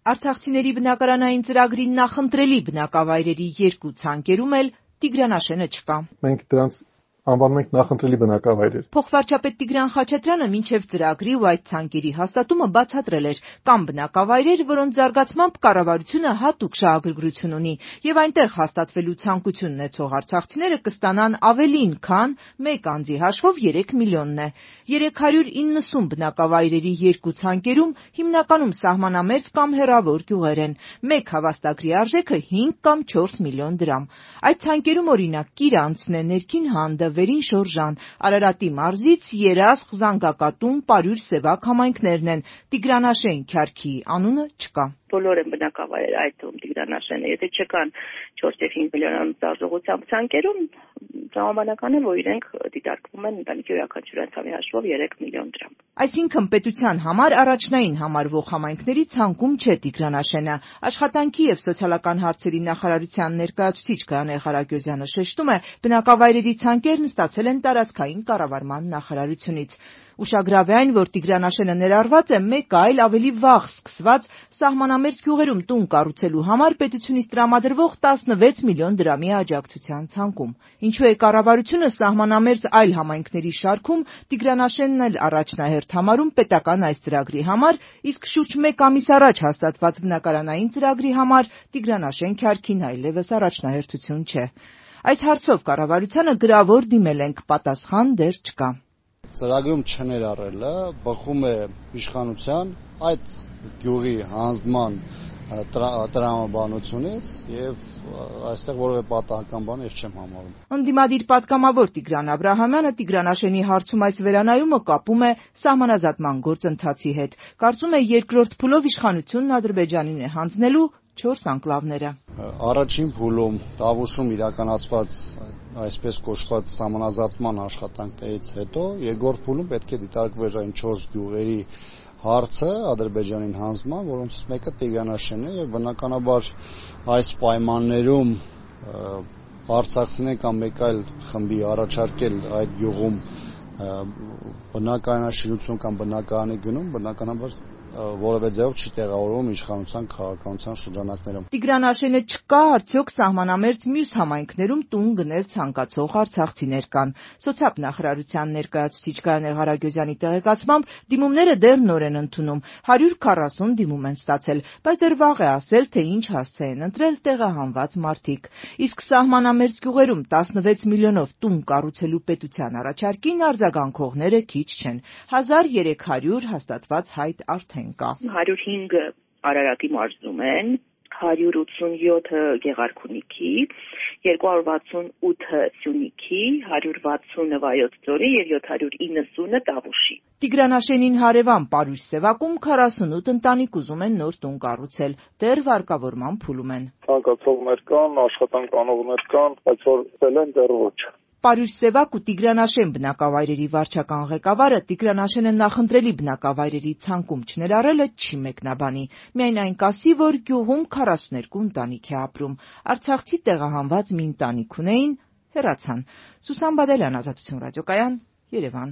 Արցախցիների բնակարանային ծրագրի նախընտրելի բնակավայրերի 2 ցանկերում էլ Տիգրանաշենը չկա։ Մենք դրանց անվանում ենք նախընտրելի բնակավայրեր։ Փոխվարչապետ Տիգրան Խաչատրյանը մինչև ծրագրի ու այդ ցանկերի հաստատումը բացատրել էր, կան բնակավայրեր, որոնց զարգացմամբ կառավարությունը հատուկ շահագրգռություն ունի, եւ այնտեղ հաստատվելու ցանկություն ունեցող արցախցիները կստանան ավելին, քան մեկ անձի հաշվով 3 միլիոնն է։ 390 բնակավայրերի 2 ցանկերում հիմնականում սահմանամերձ կամ հեռավոր գյուղեր են։ Մեկ հավաստագրի արժեքը 5 կամ 4 միլիոն դրամ։ Այդ ցանկերում օրինակ Կիրանցն է, Ներքին Հանդը, Վերին Շորժան, Արարատի մարզից Երասխ, Զանգակատուն, Պարյուր, Սևակ համայնքներն են։ Տիգրանաշեն Քյարքի անունը չկա։ Բոլոր են բնակավայրեր այդ թվում Տիգրանաշենը, եթե չկան 4 եւ 5 միլիոնանոց արժողությամբ ցանկերում, տրամաբանական է, որ իրենք դիտարկվում են ընտանիքի յուրաքանչյուր անդամի հաշվով 3 միլիոն դրամ։ Այսինքն պետության համար առաջնային համարվող համայնքների ցանկում չէ Տիգրանաշենը։ Աշխատանքի եւ սոցիալական հարցերի նախարարության ներկայացուցիչ Գայանե Ղարագյոզյանը շեշտում է, բնակավայրերի ցանկերն ստացել են տարածքային կառավարման նախարարությունից։ Ուշագրավ է այն, որ Տիգրանաշենը ներառված է մեկ այլ ավելի վաղ սկսված սահմանամերձ գյուղերում տուն կառուցելու համար պետությունից տրամադրվող 16 միլիոն դրամի աջակցության ցանկում։ Ինչու է կառավարությունը սահմանամերձ այլ համայնքների շարքում Տիգրանաշենն էլ առաջնահերթ համարում պետական այս ծրագրի համար, իսկ շուրջ 1 ամիս առաջ հաստատված բնակարանային ծրագրի համար Տիգրանաշեն Քյարքին այլևս առաջնահերթություն չէ։ Այս հարցով կառավարությանը գրավոր դիմել ենք, պատասխան դեռ չկա։ Ծրագրում չներառելը բխում է իշխանության այդ գյուղի հանձնման տրամաբանությունից եւ այստեղ որևէ պատահական բան ես չեմ համարում։ Ընդդիմադիր պատգամավոր Տիգրան Աբրահամյանը Տիգրանաշենի հարցում այս վերանայումը կապում է սահմանազատման գործընթացի հետ։ Կարծում է երկրորդ փուլով իշխանությունն Ադրբեջանին է հանձնելու 4 անկլավները։ Առաջին փուլում Տավուշում իրականացված այսպես կոչված սահմանազատման աշխատանքներից հետո երկրորդ փուլում պետք է դիտարկվեր այն 4 գյուղերի հարցը Ադրբեջանին հանձնման, որոնցից մեկը Տիգրանաշենն է եւ բնականաբար այս պայմաններում արցախցիներ կամ մեկ այլ խմբի առաջարկել այդ գյուղում բնակարանաշինություն կամ բնակարանի գնում, բնականաբար որևէ ձևով չի տեղավորվում իշխանության քաղաքականության շրջանակներում։ Տիգրանաշենը չկա, արդյոք սահմանամերձ մյուս համայնքներում տուն գնել ցանկացող արցախցիներ կան։ Սոցիալ նախարարության ներկայացուցիչ Գայանե Ղարագյոզյանի տեղեկացմամբ դիմումները դեռ նոր են ընդունում, 140 դիմում են ստացել, բայց դեռ վաղ է ասել, թե ինչ հասցե են ընտրել տեղահանված մարդիկ։ Իսկ սահմանամերձ գյուղերում 16 միլիոնով տուն կառուցելու պետության առաջարկին արձագանքողները քիչ չեն։ 1300 հաստատված հայտ արդեն կա։ 105-ը Արարատի մարզում են, 187-ը Գեղարքունիքի, 268-ը Սյունիքի, 160-ը Վայոց ձորի եւ 790-ը Տավուշի։ Տիգրանաշենին հարևան Պարյուր Սևակում 48 ընտանիք ուզում են նոր տուն կառուցել, դեռ վարկավորման փուլում են։ Ցանկացողներ կան, աշխատանք անողներ կան, բայց որ ծել են դեռ ոչ։ Պարյուր Սևակ ու Տիգրանաշեն բնակավայրերի վարչական ղեկավարը Տիգրանաշենը նախընտրելի բնակավայրերի ցանկում չներառելը չի մեկնաբանի, միայն այն կասի, որ գյուղում 42 ընտանիք է ապրում, արցախցի տեղահանված մի ընտանիք ունեին, հեռացան։ Սուսան Բադալյան, Ազատություն ռադիոկայան, Երևան։